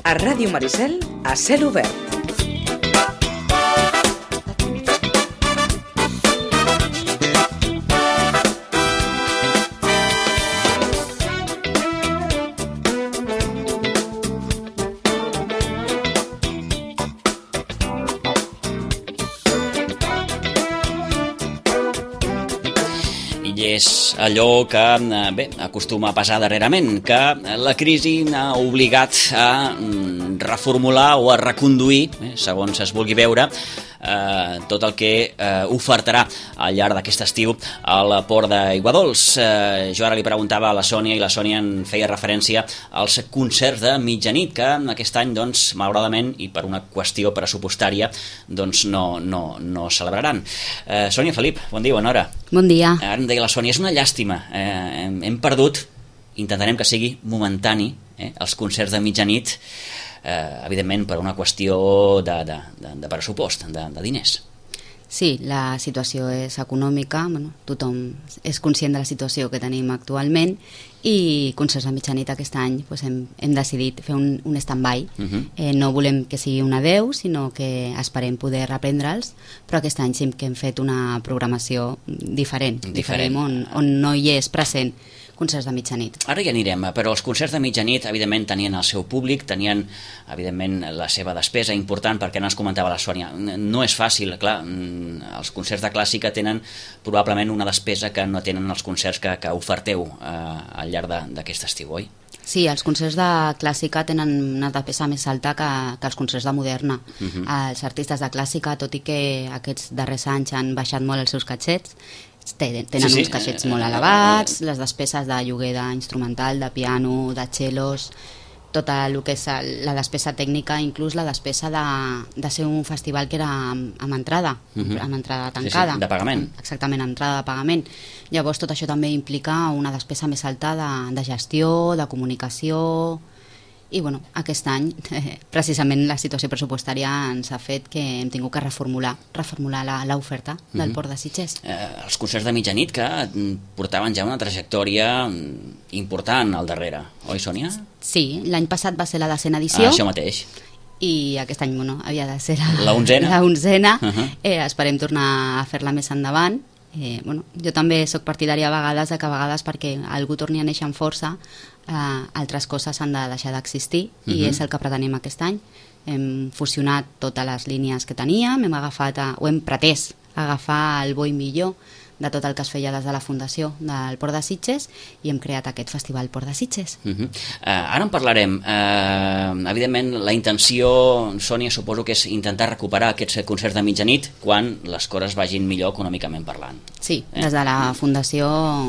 A Ràdio Maricel, a cel obert. És allò que acostuma a passar darrerament, que la crisi ha obligat a reformular o a reconduir, segons es vulgui veure, tot el que ofertarà al llarg d'aquest estiu al Port d'Aiguadols. Jo ara li preguntava a la Sònia i la Sònia en feia referència als concerts de mitjanit que aquest any, doncs, malauradament i per una qüestió pressupostària, doncs no celebraran. Sònia, Felip, bon dia, bona hora. Bon dia. Ara em deia la Sònia, és una llàstima, hem perdut, intentarem que sigui momentani, els concerts de mitjanit, evidentment per una qüestió de pressupost, de diners. Sí, la situació és econòmica, tothom és conscient de la situació que tenim actualment i concerts de mitjanit aquest any hem decidit fer un stand-by. No volem que sigui un adeu, sinó que esperem poder reprendre'ls, però aquest any sí que hem fet una programació diferent. On no hi és present concerts de mitjanit. Ara hi anirem, però els concerts de mitjanit evidentment tenien el seu públic, tenien evidentment la seva despesa important, perquè ens comentava la Sònia, no és fàcil, clar, els concerts de clàssica tenen probablement una despesa que no tenen els concerts que oferteu al llarg d'aquest estiu, oi? Sí, els concerts de clàssica tenen una despesa més alta que els concerts de moderna. Els artistes de clàssica, tot i que aquests darrers anys han baixat molt els seus catxets, tenen uns caixets molt elevats, les despeses de lloguer d'instrumental, de piano, de cellos, tot el que és la despesa tècnica, inclús la despesa de ser un festival que era amb entrada, amb entrada tancada. De pagament. Exactament, entrada de pagament. Llavors tot això també implica una despesa més alta de gestió, de comunicació. I aquest any precisament la situació pressupostària ens ha fet que hem tingut que reformular l'oferta del Port de Sitges. Els concerts de mitjanit que portaven ja una trajectòria important al darrere, oi, Sònia? Sí, l'any passat va ser la 10a edició. Això mateix. I aquest any havia de ser la 11a. Esperem tornar a fer-la més endavant. Jo també sóc partidària a vegades perquè algú torni a néixer amb força, altres coses han de deixar d'existir i és el que pretenem aquest any. Hem fusionat totes les línies que teníem, hem pretès agafar el bo i millor de tot el que es feia des de la Fundació del Port de Sitges i hem creat aquest festival Port de Sitges. Ara en parlarem. Evidentment, la intenció, Sònia, suposo que és intentar recuperar aquests concerts de mitjanit quan les coses vagin millor econòmicament parlant. Sí, des de la Fundació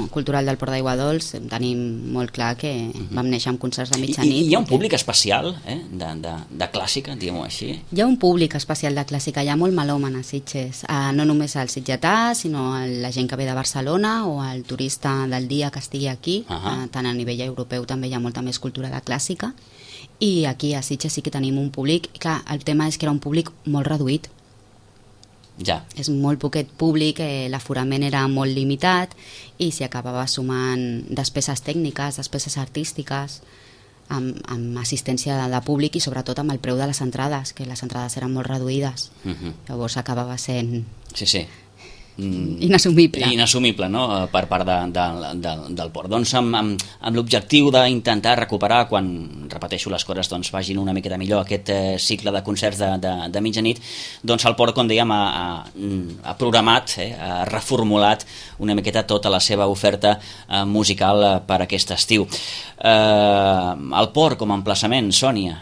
Cultural del Port d'Aiguadols tenim molt clar que vam néixer amb concerts de mitjanit. Hi ha un públic especial de clàssica, diguem-ho així? Hi ha un públic especial de clàssica, hi ha molt melòman a Sitges, no només al sitgetà, sinó la gent que ve de Barcelona o el turista del dia que estigui aquí, tant a nivell europeu també hi ha molta més cultura de clàssica, i aquí a Sitges sí que tenim un públic, clar, el tema és que era un públic molt reduït. Ja. És molt poquet públic, l'aforament era molt limitat i s'hi acabava sumant despeses tècniques, despeses artístiques, amb assistència de públic i sobretot amb el preu de les entrades, que les entrades eren molt reduïdes. Llavors acabava sent... Sí. Inassumible, no?, per part del Port. Doncs amb l'objectiu d'intentar recuperar, quan, repeteixo, les coses vagin una miqueta millor, aquest cicle de concerts de mitjanit, doncs el Port, com dèiem, ha programat, ha reformulat una miqueta tota la seva oferta musical per aquest estiu. El Port com a emplaçament, Sònia,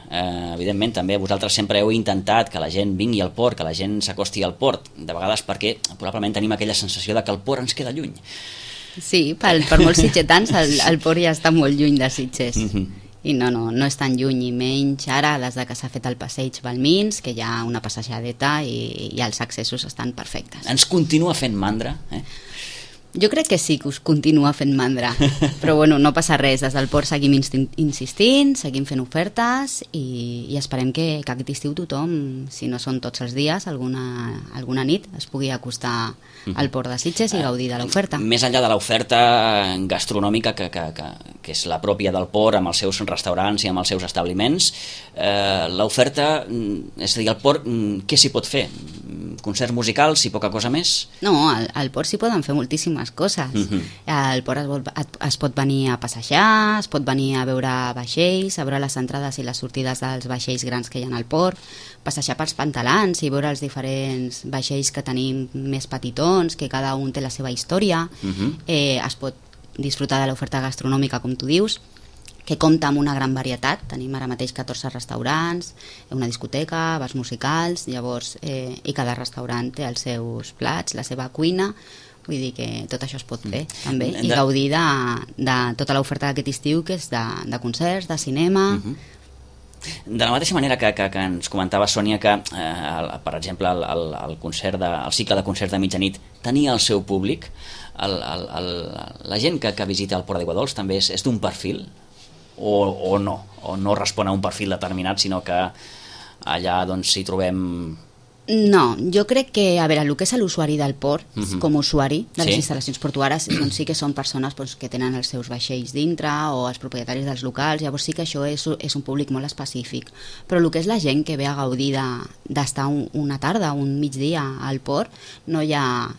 evidentment també vosaltres sempre heu intentat que la gent vingui al Port, que la gent s'acosti al Port, de vegades perquè probablement tenim aquella sensació de que el Port ens queda lluny. Sí, per molts sitgetans el Port ja està molt lluny de Sitges. I no és tan lluny, i menys ara des que s'ha fet el passeig Balmins, que hi ha una passejadeta i els accessos estan perfectes. Ens continua fent mandra, Jo crec que sí que us continua fent mandra, però no passa res, des del Port seguim insistint, seguim fent ofertes i esperem que aquest estiu tothom, si no són tots els dies, alguna nit es pugui acostar al Port de Sitges i gaudir de l'oferta. Més enllà de l'oferta gastronòmica que que és la pròpia del port, amb els seus restaurants i amb els seus establiments. L'oferta, és a dir, el port, què s'hi pot fer? Concerts musicals i poca cosa més? No, al port s'hi poden fer moltíssimes coses. Al port es pot venir a passejar, es pot venir a veure vaixells, a veure les entrades i les sortides dels vaixells grans que hi ha al port, passejar pels pantalans i veure els diferents vaixells que tenim més petitons, que cada un té la seva història. Es pot disfrutar de l'oferta gastronòmica, com tu dius, que compta amb una gran varietat. Tenim ara mateix 14 restaurants, una discoteca, bars musicals, llavors, i cada restaurant té els seus plats, la seva cuina. Vull dir que tot això es pot fer també, i gaudir de tota l'oferta d'aquest estiu, que és de concerts, de cinema. De la mateixa manera que ens comentava Sònia que, per exemple, el cicle de concerts de mitjanit tenia el seu públic, la gent que visita el Port d'Aigua Dols també és d'un perfil o no respon a un perfil determinat, sinó que allà doncs hi trobem... No, jo crec que, a veure, el que és l'usuari del port, com a usuari de les instal·lacions portuàries, doncs sí que són persones que tenen els seus vaixells dintre, o els propietaris dels locals, llavors sí que això és un públic molt específic. Però el que és la gent que ve a gaudir d'estar una tarda, un migdia al port, no hi ha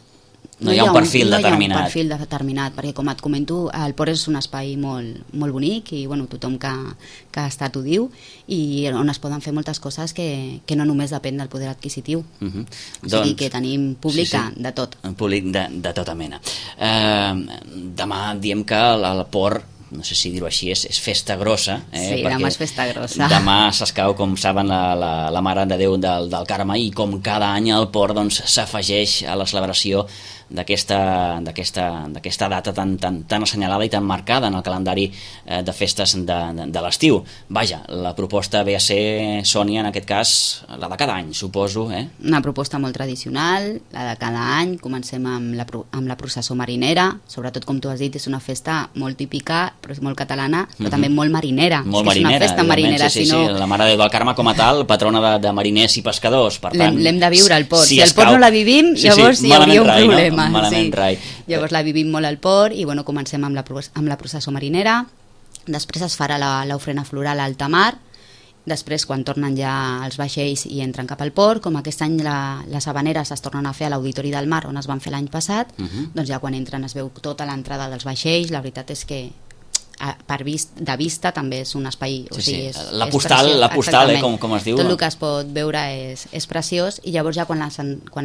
un perfil determinat, perquè, com et comento, el port és un espai molt, molt bonic i tothom que ha estat ho diu, i on es poden fer moltes coses que no només depèn del poder adquisitiu. O sigui que tenim públic de tot. Un públic de tota mena. Demà diem que el port, no sé si dir-ho així, és festa grossa. Sí, demà és festa grossa. Demà s'escau, com saben, la Mare de Déu del Carme, i com cada any el port s'afegeix a la celebració d'aquesta data tan assenyalada i tan marcada en el calendari de festes de l'estiu. Vaja, la proposta ve a ser, Sònia, en aquest cas, la de cada any, suposo. Una proposta molt tradicional, la de cada any. Comencem amb la processó marinera, sobretot, com tu has dit, és una festa molt típica, però molt catalana, però també molt marinera. Molt marinera, és una festa marinera. Sí, la Mare de Déu del Carme com a tal, patrona de mariners i pescadors. Per tant, l'hem de viure al port. Si al port no la vivim, llavors hi hauria un problema. Malament rai. Llavors la vivim molt al port i comencem amb la processó marinera. Després es farà l'ofrena floral a alta mar. Després, quan tornen ja els vaixells i entren cap al port, com aquest any les habaneres es tornen a fer a l'Auditori del Mar, on es van fer l'any passat, doncs ja quan entren es veu tota l'entrada dels vaixells. La veritat és que de vista també és un espai, o sigui, la postal, com es diu, tot el que es pot veure és preciós, i llavors ja quan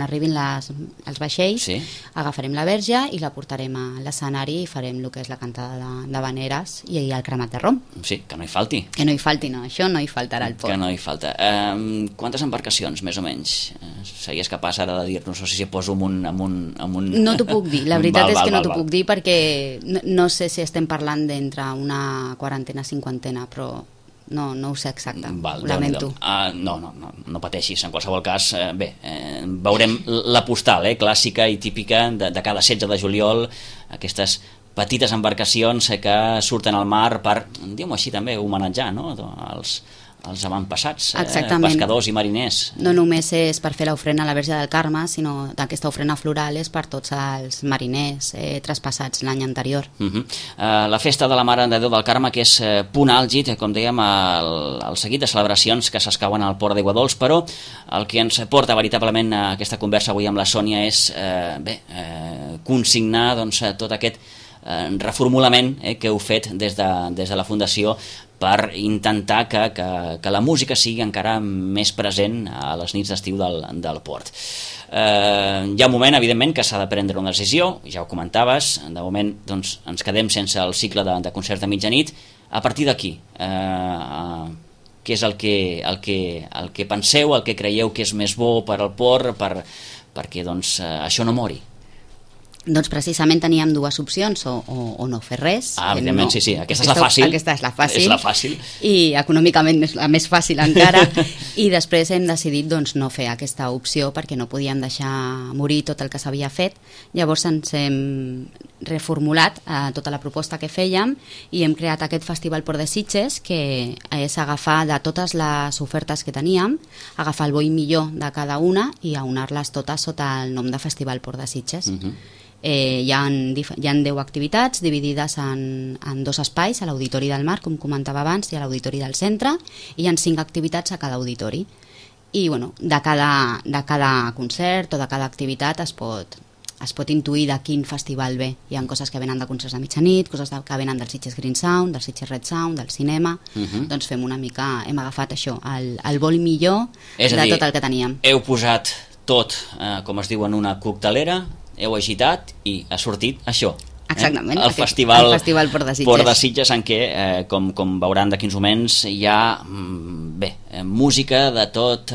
arribin els vaixells agafarem la verge i la portarem a l'escenari i farem el que és la cantada d'habaneres i el cremat de rom. Sí, que no hi falti. Que no hi falti, no, això no hi faltarà al port. Que no hi falta. Quantes embarcacions, més o menys? Series capaç ara de dir-nos, o si poso amb un... No t'ho puc dir, la veritat és que no t'ho puc dir, perquè no sé si estem parlant d'entre una quarantena, cinquantena, però no ho sé exacte, ho lamento. No pateixis, en qualsevol cas, veurem la postal, clàssica i típica de cada 16 de juliol, aquestes petites embarcacions que surten al mar per, diguem-ho així també, homenatjar, no?, els avantpassats, pescadors i mariners. No només és per fer l'ofrena a la Verge del Carme, sinó aquesta ofrena floral és per tots els mariners traspassats l'any anterior. La festa de la Mare de Déu del Carme, que és punt àlgid, com dèiem, el seguit de celebracions que s'escauen al Port d'Aigua Dols, però el que ens porta veritablement a aquesta conversa avui amb la Sònia és consignar tot aquest reformulament que heu fet des de la Fundació per intentar que la música sigui encara més present a les nits d'estiu del port. Hi ha un moment, evidentment, que s'ha de prendre una decisió, ja ho comentaves, de moment ens quedem sense el cicle de concerts de mitjanit. A partir d'aquí, què és el que penseu, el que creieu que és més bo per al port, perquè això no mori? Doncs precisament teníem dues opcions, o no fer res. Evidentment, sí. Aquesta és la fàcil. Aquesta és la fàcil. I econòmicament és la més fàcil encara. I després hem decidit no fer aquesta opció perquè no podíem deixar morir tot el que s'havia fet. Llavors ens hem reformulat tota la proposta que fèiem i hem creat aquest Festival Port de Sitges, que és agafar de totes les ofertes que teníem, agafar el bo i millor de cada una i aunar-les totes sota el nom de Festival Port de Sitges. Hi ha 10 activitats dividides en 2 espais, a l'Auditori del Mar, com comentava abans, i a l'Auditori del Centre, i hi ha 5 activitats a cada auditori. I bueno, de cada concert o de cada activitat es pot intuir de quin festival ve. Hi ha coses que venen de concerts de mitjanit, coses que venen del Sitges Green Sound, del Sitges Red Sound, del cinema. Doncs fem una mica, hem agafat això, el vol millor de tot el que teníem. Heu posat tot, com es diu, en una coctelera, heu agitat i ha sortit això. Exactament, el festival Port de Sitges. Port de Sitges, en què, com veuran d'aquí uns moments, hi ha música de tota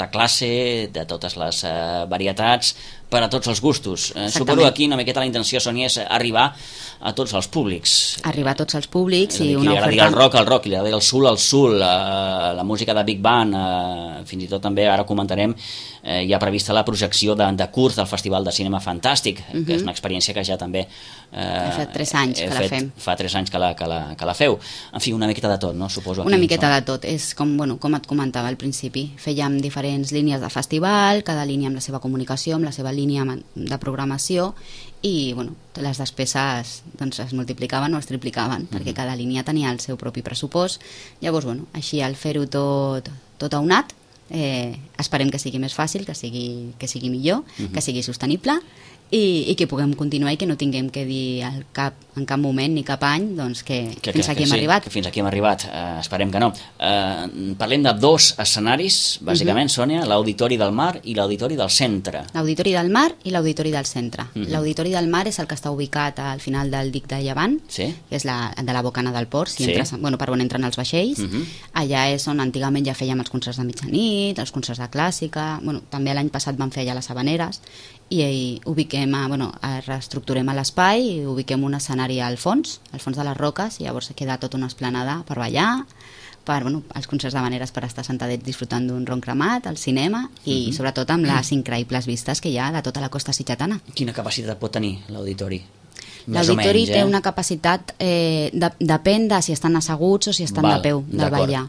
classe, de totes les varietats, per a tots els gustos. Suposo que aquí una miqueta la intenció, Sònia, és arribar a tots els públics. Arribar a tots els públics i una oferta... Qui li agradi el rock, qui li agradi el soul, la música de Big Band, fins i tot també, ara comentarem, hi ha prevista la projecció de curs del Festival de Cinema Fantàstic, que és una experiència que ja també... Fa 3 anys que la fem. Fa 3 anys que la feu. En fi, una miqueta de tot, no? Suposo. Una miqueta de tot. És com et comentava al principi. Fèiem diferents línies de festival, cada línia amb la seva comunicació, amb la seva línia de programació, i les despeses es multiplicaven o es triplicaven, perquè cada línia tenia el seu propi pressupost. Llavors, així al fer-ho tot aunat, esperem que sigui més fàcil, que sigui millor, que sigui sostenible, i que puguem continuar i que no tinguem que dir en cap moment ni cap any que fins aquí hem arribat. Que fins aquí hem arribat, esperem que no. Parlem de 2 escenaris, bàsicament, Sònia, l'Auditori del Mar i l'Auditori del Centre. L'Auditori del Mar i l'Auditori del Centre. L'Auditori del Mar és el que està ubicat al final del dic de Llevant, que és de la bocana del port, per on entren els vaixells. Allà és on antigament ja fèiem els concerts de mitjanit, els concerts de clàssica, també l'any passat vam fer allà les Havaneres, i reestructurem l'espai i ubiquem un escenari al fons de les roques, i llavors queda tota una esplanada per ballar, per els concerts d'Havaneres, per estar sentadets disfrutant d'un ron cremat, al cinema, i sobretot amb les increïbles vistes que hi ha de tota la costa sitgetana. Quina capacitat pot tenir l'auditori? L'auditori té una capacitat, depèn de si estan asseguts o si estan de peu, de ballar.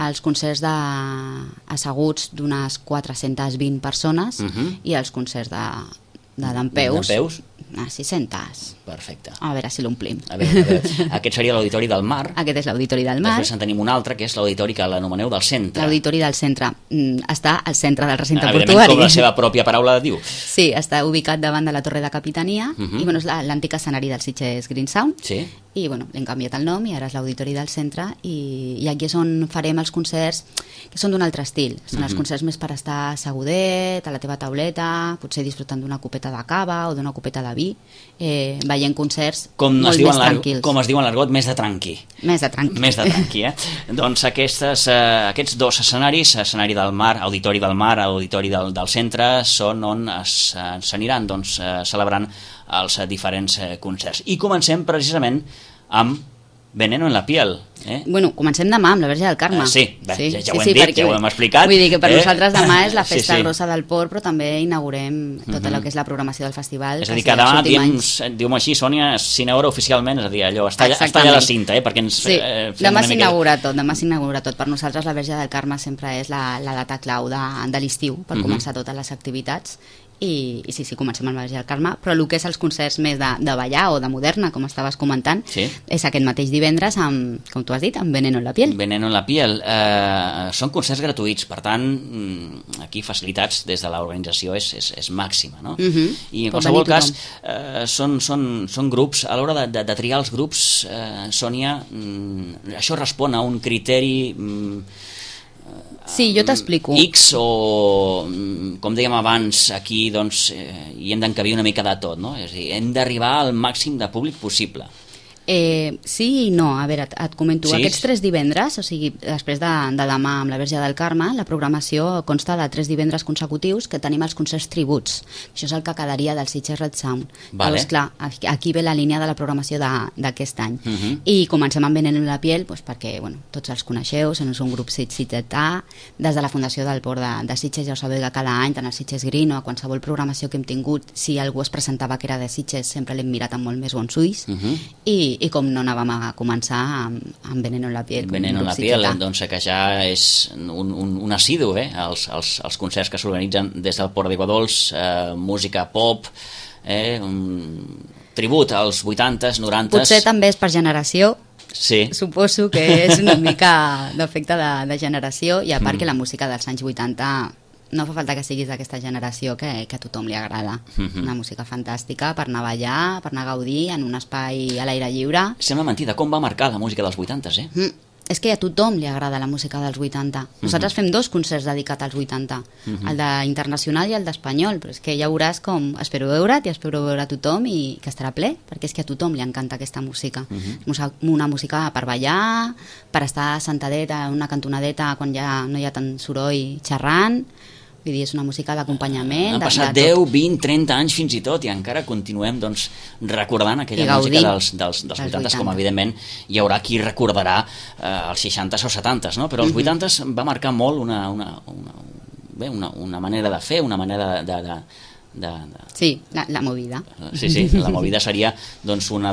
Els concerts asseguts d'unes 420 persones i els concerts de dempeus a 600. Perfecte. A veure si l'omplim. Aquest seria l'Auditori del Mar. Aquest és l'Auditori del Mar. Després en tenim un altre, que és l'Auditori que l'anomeneu del Centre. L'Auditori del Centre està al centre del recinte portuari. Evidentment, com la seva pròpia paraula diu. Sí, està ubicat davant de la Torre de Capitania, i és l'antic escenari del Sitges Green Sound, i l'hem canviat el nom i ara és l'Auditori del Centre, i aquí és on farem els concerts que són d'un altre estil. Són els concerts més per estar assegudet, a la teva tauleta, potser disfrutant d'una copeta de cava o d'una copeta de vi, veient concerts molt més tranquils. Com es diu en l'argot, més de tranqui. Més de tranqui, Doncs aquests 2 escenaris, escenari del Mar, Auditori del Mar, Auditori del Centre, són on s'aniran celebrant els diferents concerts. I comencem precisament amb Veneno en la piel. Comencem demà amb la Verge del Carme. Ja ho hem dit, ja ho hem explicat. Vull dir que per nosaltres demà és la festa grossa del port, però també inaugurem tot el que és la programació del festival. És a dir, que demà, diguem-ho així, Sònia, s'inaugura oficialment, és a dir, allò, està allà la cinta, perquè ens fem demà s'inaugura tot. Per nosaltres la Verge del Carme sempre és la data clau de l'estiu, per començar totes les activitats. I sí, comencem amb la Verge del Carme, però el que és els concerts més de ballar o de moderna, com estaves comentant, és aquest mateix divendres amb, com tu has dit, amb Veneno en la piel. Veneno en la piel. Són concerts gratuïts, per tant, aquí facilitats des de l'organització és màxima, no? I en qualsevol cas, són grups, a l'hora de triar els grups, Sònia, això respon a un criteri... Sí, jo t'explico. X o, com dèiem abans, aquí hi hem d'encabir una mica de tot, no? És a dir, hem d'arribar al màxim de públic possible. Sí i no, a veure, et comento, aquests 3 divendres, o sigui, després de demà amb la Verge del Carme, la programació consta de 3 divendres consecutius que tenim els concerts tributs. Això és el que quedaria del Sitges Red Sound. Llavors, clar, aquí ve la línia de la programació d'aquest any. I comencem amb Veneno en la piel, perquè tots els coneixeu, són un grup sitgetà, des de la Fundació del Port de Sitges ja ho sabeu que cada any, tant el Sitges Green o a qualsevol programació que hem tingut, si algú es presentava que era de Sitges, sempre l'hem mirat amb molt més bons ulls, i i com no anàvem a començar amb Veneno en la piel. Veneno en la piel, doncs que ja és un assidu, els concerts que s'organitzen des del Port d'Aigua Dols, música pop, un tribut als 80s, 90s... Potser també és per generació, sí. Suposo que és una mica d'efecte de generació, i a part que la música dels anys 80 no fa falta que siguis d'aquesta generació que a tothom li agrada. Una música fantàstica per anar a ballar, per anar a gaudir en un espai a l'aire lliure. Sembla mentida, com va marcar la música dels 80s, És que a tothom li agrada la música dels 80. Nosaltres fem 2 concerts dedicats als 80, el d'internacional i el d'espanyol, però és que ja veuràs com espero veure't i espero veure a tothom i que estarà ple, perquè és que a tothom li encanta aquesta música. Una música per ballar, per estar sentadet a una cantonadeta quan ja no hi ha tant soroll xerrant. Vull dir, és una música d'acompanyament. Han passat 10, 20, 30 anys fins i tot i encara continuem recordant aquella música dels 80s, com evidentment hi haurà qui recordarà els 60s o 70s, no? Però els 80s va marcar molt una manera de fer, una manera Sí, la movida. Sí, la movida seria doncs una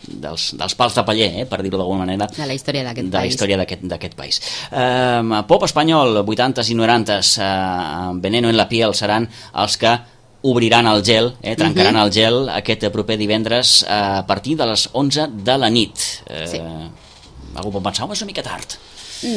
dels pals de paller, per dir-ho d'alguna manera, de la història d'aquest país. De la història d'aquest país. Pop espanyol, 80s i 90s, Veneno en la piel seran els que obriran el gel, trencaran el gel aquest proper divendres a partir de les 11 de la nit. Algú pot pensar, és una mica tard.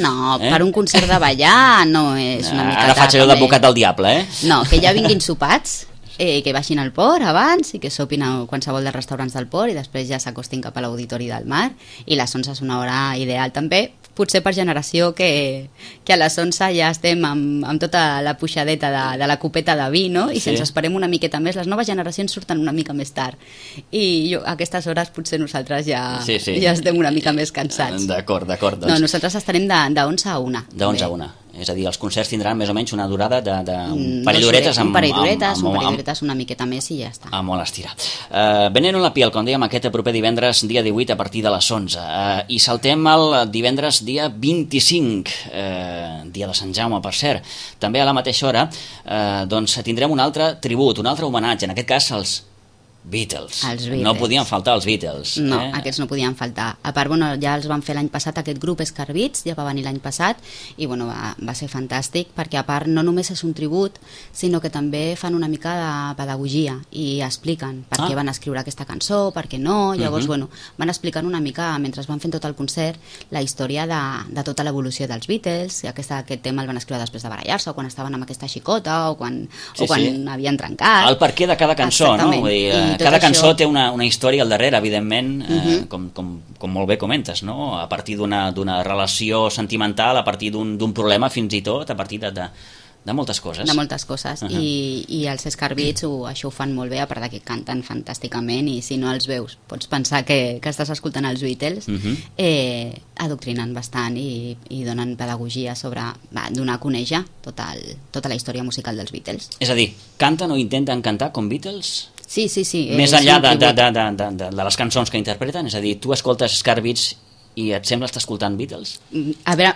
No, per un concert de ballar no és una mica tard. Ara faig allò d'advocat del diable, No, que ja vinguin sopats, que baixin al port abans i que sopin a qualsevol dels restaurants del port i després ja s'acostin cap a l'Auditori del Mar, i les 11 és una hora ideal també, potser per generació que a les 11 ja estem amb tota la puixadeta de la copeta de vi, no? I si ens esperem una miqueta més, les noves generacions surten una mica més tard i a aquestes hores potser nosaltres ja estem una mica més cansats. D'acord. No, nosaltres estarem de 11 a 1. De 11 a 1. És a dir, els concerts tindran més o menys una durada d'un parell d'horetes. Un parell d'horetes, una miqueta més i ja està. A molt estirar. Veneno en la piel, com dèiem, aquest proper divendres, dia 18, a partir de les 11. I saltem el divendres, dia 25, dia de Sant Jaume, per cert. També a la mateixa hora doncs tindrem un altre tribut, un altre homenatge, en aquest cas als Beatles. No podien faltar els Beatles. No, aquests no podien faltar. A part, ja els van fer l'any passat aquest grup Scarbits, ja va venir l'any passat i va ser fantàstic perquè a part no només és un tribut, sinó que també fan una mica de pedagogia i expliquen per què van escriure aquesta cançó, per què no. Llavors, van explicant una mica, mentre van fent tot el concert, la història de tota l'evolució dels Beatles. Aquest tema el van escriure després de barallar-se o quan estaven amb aquesta xicota o quan havien trencat. El per què de cada cançó, no? Vull dir, cada cançó té una història al darrere, evidentment, com molt bé comentes, no? A partir d'una relació sentimental, a partir d'un problema, fins i tot, a partir de moltes coses. De moltes coses. I els Scarbits això ho fan molt bé, a part que canten fantàsticament, i si no els veus pots pensar que estàs escoltant els Beatles. Adoctrinen bastant i donen pedagogia sobre donar a conèixer tota la història musical dels Beatles. És a dir, canten o intenten cantar com Beatles? Sí. Més enllà de les cançons que interpreten? És a dir, tu escoltes Scarbits i et sembla estar escoltant Beatles? A veure,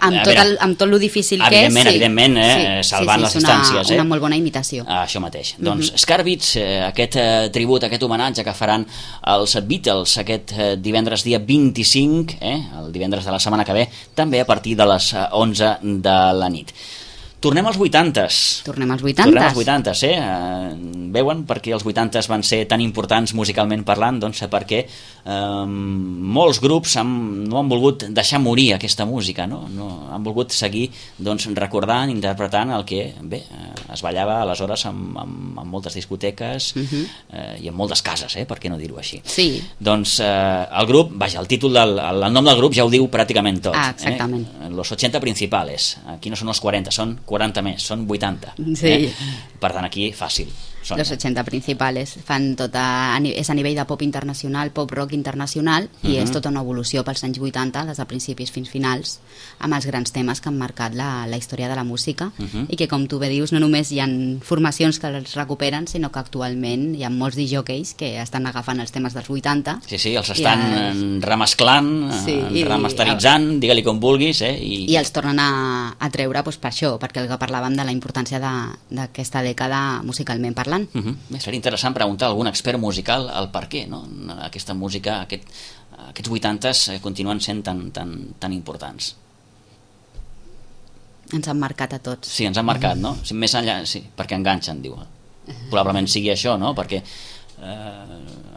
amb tot lo difícil que és, evidentment, salvant les distàncies. Una molt bona imitació. Això mateix. Doncs Scarbits, aquest tribut, aquest homenatge que faran els Beatles aquest divendres dia 25, el divendres de la setmana que ve, també a partir de les 11 de la nit. Tornem als 80s. Tornem als 80s, Veuen per què els 80s van ser tan importants musicalment parlant? Doncs perquè molts grups no han volgut deixar morir aquesta música, no? Han volgut seguir recordant, interpretant el que es ballava aleshores en moltes discoteques i en moltes cases, per què no dir-ho així? Sí. Doncs el grup, el títol, el nom del grup ja ho diu pràcticament tot. Exactament. Los 80 principales. Aquí no són els 40, són 40 més, són 80. Sí. Per tant, aquí fàcil. Los 80 principals fan és a nivell de pop internacional, pop rock internacional, i és tota una evolució pels anys 80, des de principis fins finals, amb els grans temes que han marcat la història de la música, i que, com tu bé dius, no només hi ha formacions que els recuperen, sinó que actualment hi ha molts disjòqueis que estan agafant els temes dels 80. Sí, els estan remesclant, remasteritzant, digue-li com vulguis. I els tornen a treure per això, perquè el que parlàvem de la importància d'aquesta dècada musicalment parlant, parlant. Bé, seria interessant preguntar a algun expert musical el per què, no? Aquesta música, aquests 80s continuen sent tan importants. Ens han marcat a tots. Sí, ens han marcat, no? Més enllà, sí, perquè enganxen, diu. Probablement sigui això, no? Perquè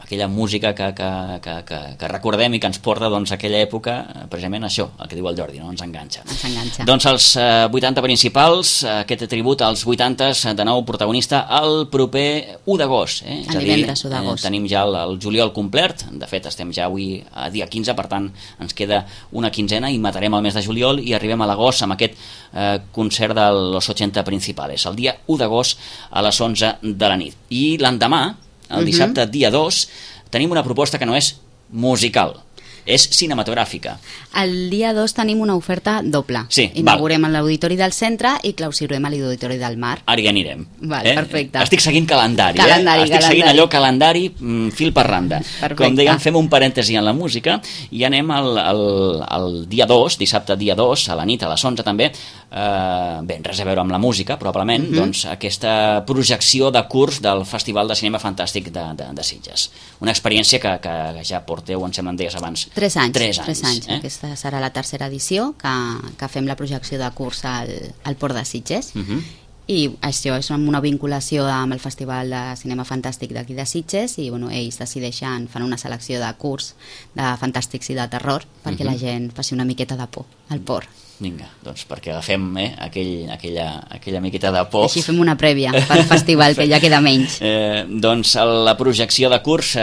aquella música que recordem i que ens porta doncs, a aquella època, precisament això, el que diu el Jordi, no? Ens enganxa. Doncs els 80 principals, aquest tribut als 80s, de nou protagonista el proper 1 d'agost. El divendres 1 d'agost. Tenim ja el juliol complet, de fet estem ja avui a dia 15, per tant ens queda una quinzena i matarem el mes de juliol i arribem a l'agost amb aquest concert de los 80 principales, el dia 1 d'agost a les 11 de la nit. I l'endemà, el dissabte, dia 2, tenim una proposta que no és musical, és cinematogràfica. El dia 2 tenim una oferta doble. Sí, inaugurem a l'Auditori del Centre i clausurem a l'Auditori del Mar. Ara hi anirem. Perfecte. Estic seguint calendari. Estic seguint allò calendari fil per randa. Perfecte. Com diguem, fem un parèntesi en la música i anem al dia 2, dissabte dia 2, a la nit, a les 11 també, res a veure amb la música, probablement, doncs aquesta projecció de curs del Festival de Cinema Fantàstic de Sitges. Una experiència que ja porteu, em sembla, en deies abans. 3 anys. Aquesta serà la tercera edició que fem la projecció de curs al Port de Sitges. I això és una vinculació amb el Festival de Cinema Fantàstic d'aquí de Sitges i ells decideixen, fan una selecció de curs de fantàstics i de terror perquè la gent faci una miqueta de por al port. Vinga, doncs perquè agafem aquella miqueta de por. Així fem una prèvia pel festival, que ja queda menys. Doncs la projecció de curs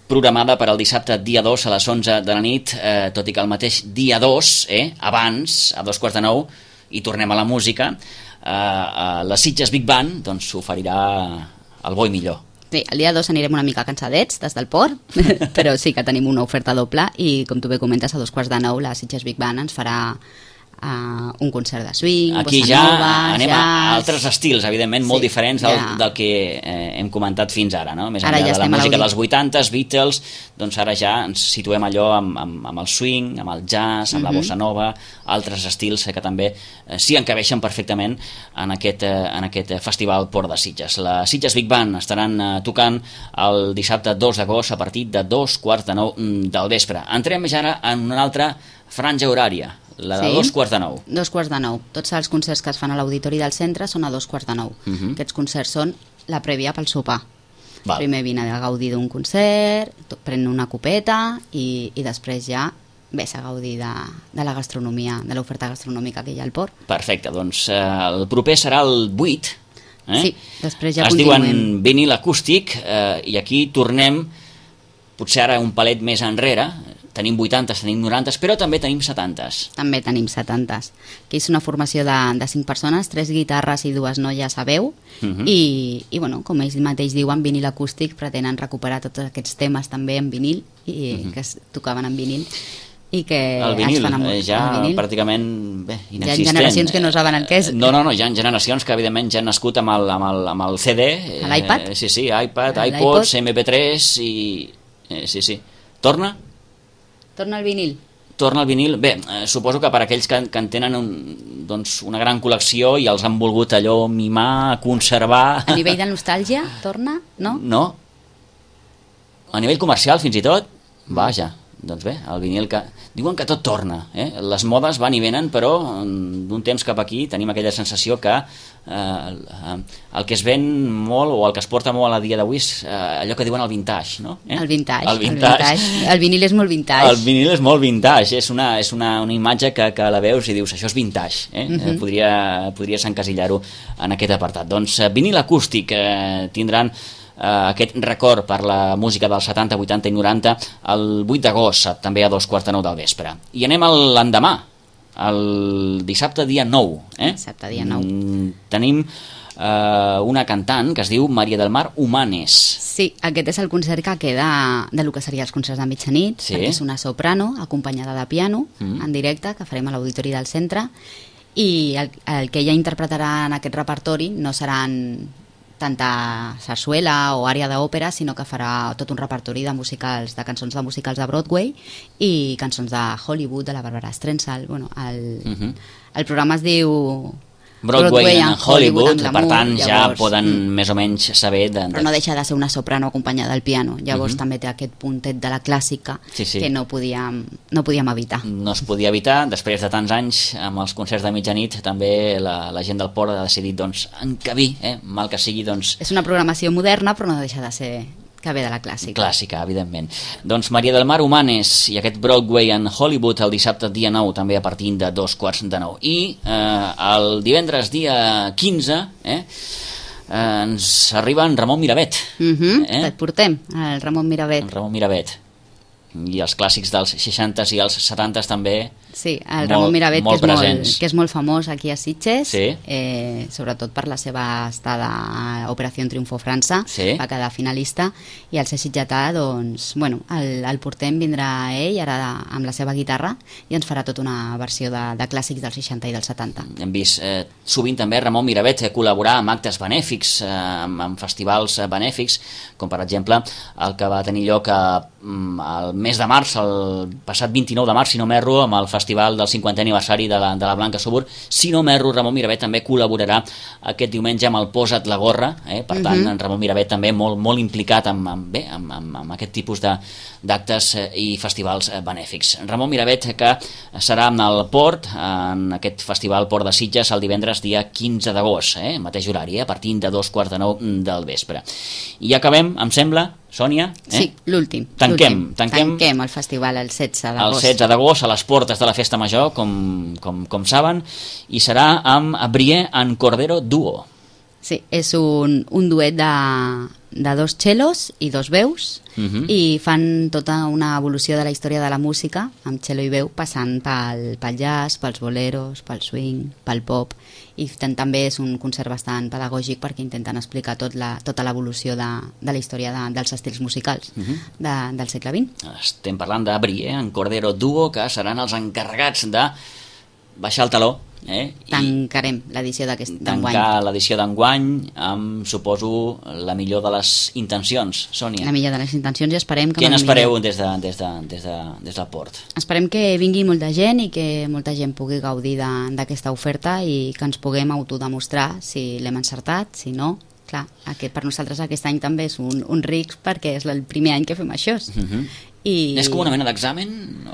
programada per al dissabte dia 2 a les 11 de la nit, tot i que el mateix dia 2, abans, a 8:45, i tornem a la música, la Sitges Big Band doncs oferirà el bo i millor. Sí, el dia 2 anirem una mica cansadets des del port, però sí que tenim una oferta doble i, com tu bé comentes, a 8:45 la Sitges Big Band ens farà un concert de swing, aquí bossa nova, anem jazz... a altres estils, evidentment, molt diferents del que hem comentat fins ara, no? Més enllà de la música dels 80s, Beatles, doncs ara ja ens situem allò amb el swing, amb el jazz, amb la bossa nova, altres estils que també s'hi encabeixen perfectament en aquest festival Port de Sitges. La Sitges Big Band estaran tocant el dissabte 2 d'agost a partir de 2:45 del vespre. Entrem ja ara en una altra franja horària, la de 2:45. 2:45. Tots els concerts que es fan a l'Auditori del Centre són a 2:45. Aquests concerts són la prèvia pel sopar. Primer vine a gaudir d'un concert, pren una copeta i després ja ves a gaudir de la gastronomia, de l'oferta gastronòmica que hi ha al port. Perfecte, doncs el proper serà el 8. Sí, després ja es continuem. Es diuen vinil acústic i aquí tornem potser ara un palet més enrere. Tenim 80s, tenim 90s, però també tenim 70s. També tenim 70s. Aquí és una formació de 5 persones, 3 guitarres i 2 noies a veu, i com ells mateix diuen, vinil acústic, pretenen recuperar tots aquests temes també en vinil, i que es tocaven en vinil, i que el vinil, es fan amb ja el vinil. pràcticament inexistent. Hi ha generacions que no saben el que és. No, hi ha generacions que evidentment ja han nascut amb el CD. L'iPad? Sí, iPad, iPods, MP3 i... Sí. Torna el vinil. Torna el vinil. Bé, suposo que per aquells que en tenen una gran col·lecció i els han volgut allò mimar, conservar... A nivell de nostàlgia, torna, no? No. A nivell comercial, fins i tot, vaja, doncs bé, el vinil que... Diuen que tot torna, les modes van i venen, però d'un temps cap aquí tenim aquella sensació que el que es ven molt o el que es porta molt a dia d'avui és allò que diuen el vintage, no? El vintage. El vinil és molt vintage. El vinil és molt vintage, és una imatge que la veus i dius, això és vintage, podries encasillar-ho en aquest apartat. Doncs vinil acústic tindran aquest record per la música dels 70, 80 i 90 el 8 d'agost, també a 2:45 del vespre. I anem a l'endemà, el dissabte dia 9. Dissabte dia 9. Tenim una cantant que es diu Maria del Mar Humanes. Sí, aquest és el concert que queda del que seria els concerts de mitjanit, perquè és una soprano acompanyada de piano en directe que farem a l'Auditori del Centre, i el que ella interpretarà en aquest repertori no seran tanta sarsuela o àrea d'òpera, sinó que farà tot un repertori de cançons de musicals de Broadway i cançons de Hollywood, de la Barbara Streisand. El programa es diu Broadway and Hollywood, per tant ja llavors, poden més o menys saber... Però no deixa de ser una soprano acompanyada del piano, llavors també té aquest puntet de la clàssica que no podíem evitar. No es podia evitar, després de tants anys amb els concerts de mitjanit també la gent del Port ha decidit doncs encabir, mal que sigui doncs... És una programació moderna però no deixa de ser que ve de la clàssica. Clàssica, evidentment. Doncs Maria del Mar Humanes i aquest Broadway and Hollywood el dissabte dia 9, també a partir de 2:15. I el divendres dia 15 ens arriba en Ramon Miravet. Et portem, el Ramon Miravet. En Ramon Miravet. I els clàssics dels 60s i els 70s també. Sí, el Ramon Miravet, que és molt famós aquí a Sitges, sobretot per la seva estada a Operació Triunfo França, va quedar finalista, i al ser sitgetà, doncs, bueno, el portem, vindrà ell, ara amb la seva guitarra, i ens farà tota una versió de clàssics dels 60 i dels 70. Hem vist sovint també Ramon Miravet col·laborar amb actes benèfics, amb festivals benèfics, com per exemple el que va tenir lloc al mes de març, el passat 29 de març, si no m'erro, amb el festival del 50è aniversari de la Blanca Subur. Si no m'erro, Ramon Miravet també col·laborarà aquest diumenge amb el Posa't la gorra, per tant, en Ramon Miravet també molt implicat amb aquest tipus d'actes i festivals benèfics. Ramon Miravet, que serà en el Port, en aquest festival Port de Sitges, el divendres dia 15 d'agost, mateix horari, a partir de 2:15 del vespre. I acabem, em sembla, Sònia? Sí, l'últim. Tanquem el festival el 16 d'agost. El 16 d'agost, a les portes de la Festa Major, com saben, i serà amb Brie and Cordero Duo. Sí, és un duet de dos cellos i dos veus, i fan tota una evolució de la història de la música, amb cello i veu, passant pel jazz, pels boleros, pel swing, pel pop, i també és un concert bastant pedagògic perquè intenten explicar tota l'evolució de la història dels estils musicals del segle XX. Estem parlant de Brie and Cordero Duo, que seran els encarregats de baixar el taló. Tancarem l'edició d'enguany. Tancar l'edició d'enguany amb, suposo, la millor de les intencions, Sònia. La millor de les intencions, i esperem que... Què n'espereu des del Port? Esperem que vingui molta gent i que molta gent pugui gaudir d'aquesta oferta i que ens puguem autodemostrar si l'hem encertat, si no. Clar, per nosaltres aquest any també és un risc perquè és el primer any que fem això. És com una mena d'examen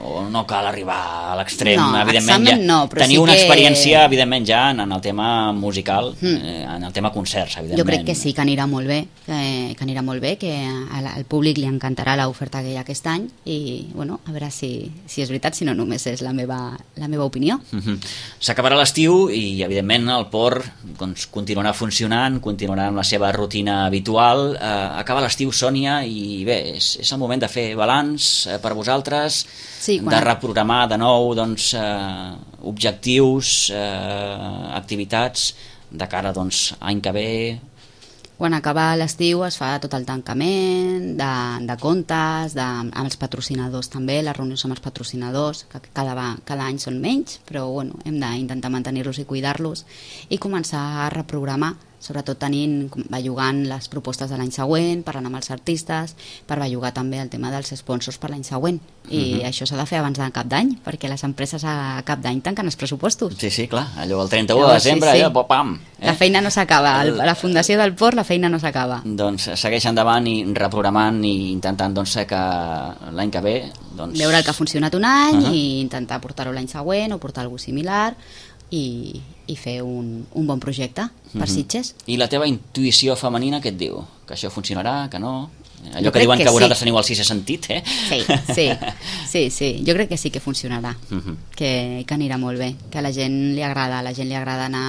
o no cal arribar a l'extrem? No, examen no, però tenir una experiència, evidentment, ja en el tema musical, en el tema concerts, evidentment. Jo crec que sí, que anirà molt bé, que al públic li encantarà l'oferta que hi ha aquest any, i bueno, a veure si és veritat, si no només és la meva opinió. S'acabarà l'estiu i, evidentment, el Port continuarà funcionant, continuarà amb la seva rutina habitual. Acaba l'estiu, Sònia, i bé, és el moment de fer balanç per vosaltres, de reprogramar de nou objectius, activitats de cara any que ve. Quan acaba l'estiu es fa tot el tancament de comptes, amb els patrocinadors també, les reunions amb els patrocinadors, que cada any són menys, però bueno, hem d'intentar mantenir-los i cuidar-los i començar a reprogramar, sobretot bellugant les propostes de l'any següent, parlant amb els artistes, per bellugar també el tema dels sponsors per l'any següent. I això s'ha de fer abans de cap d'any, perquè les empreses a cap d'any tanquen els pressupostos. Sí, clar, allò el 31 de desembre, pam! La feina no s'acaba, a la Fundació del Port la feina no s'acaba. Doncs segueix endavant i reprogramant i intentant que l'any que ve... Veure el que ha funcionat un any i intentar portar-ho l'any següent o portar alguna cosa similar, i fer un bon projecte per Sitges. I la teva intuïció femenina què et diu? Que això funcionarà, que no? Allò que diuen que vosaltres teniu el sisè sentit, Sí, jo crec que sí que funcionarà, que anirà molt bé, que a la gent li agrada anar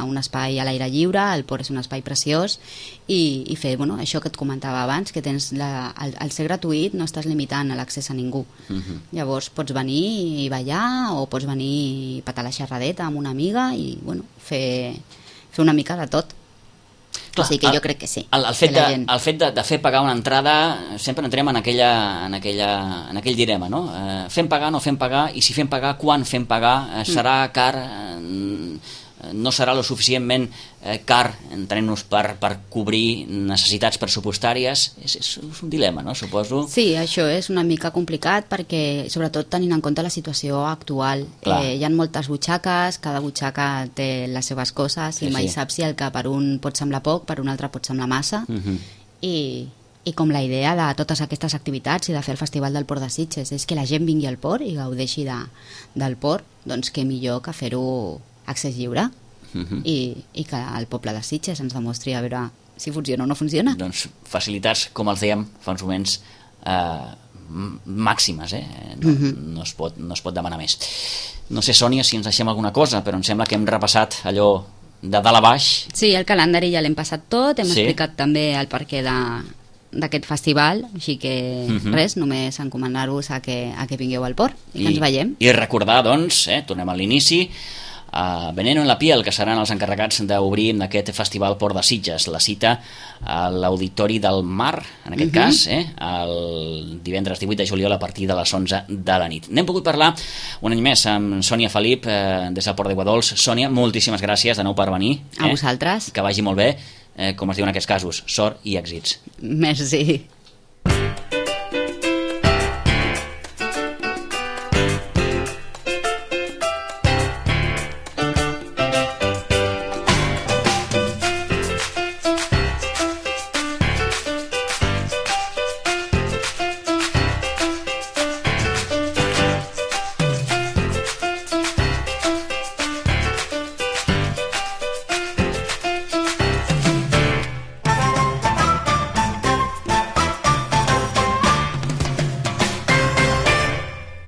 a un espai a l'aire lliure, el Port és un espai preciós, i fer, això que et comentava abans, que tens al ser gratuït no estàs limitant l'accés a ningú. Llavors pots venir i ballar, o pots venir i petar la xerradeta amb una amiga i fer una mica de tot. Clar, o sigui que jo crec que sí. El fet de fer pagar una entrada, sempre entrem en aquell dilema, no? Fem pagar, no fem pagar, i si fem pagar, quan fem pagar? Serà car? no serà lo suficientment car, entenent-nos, per cobrir necessitats pressupostàries. És un dilema, no? Suposo. Sí, això és una mica complicat perquè, sobretot tenint en compte la situació actual, hi ha moltes butxaques, cada butxaca té les seves coses i mai saps si el que per un pot semblar poc, per un altre pot semblar massa. I com la idea de totes aquestes activitats i de fer el Festival del Port de Sitges és que la gent vingui al port i gaudeixi del port, doncs què millor que fer-ho accés lliure i que el poble de Sitges ens demostri a veure si funciona o no funciona. Doncs facilitats, com els dèiem fa uns moments, màximes, no es pot demanar més. No sé, Sònia, si ens deixem alguna cosa, però em sembla que hem repassat allò de dalt a baix. Sí, el calendari ja l'hem passat tot, hem explicat també el perquè d'aquest festival, així que res, només encomanar-vos a que vingueu al port i que ens veiem. I recordar, doncs, tornem a l'inici, Veneno en la piel, que seran els encarregats d'obrir aquest festival Port de Sitges, la cita a l'Auditori del Mar, en aquest cas, el divendres 18 de juliol a partir de les 11 de la nit. N'hem pogut parlar un any més amb Sònia Felip des del Port de Guadols. Sònia, moltíssimes gràcies de nou per venir. A vosaltres. Que vagi molt bé, com es diu en aquests casos, sort i èxits. Merci.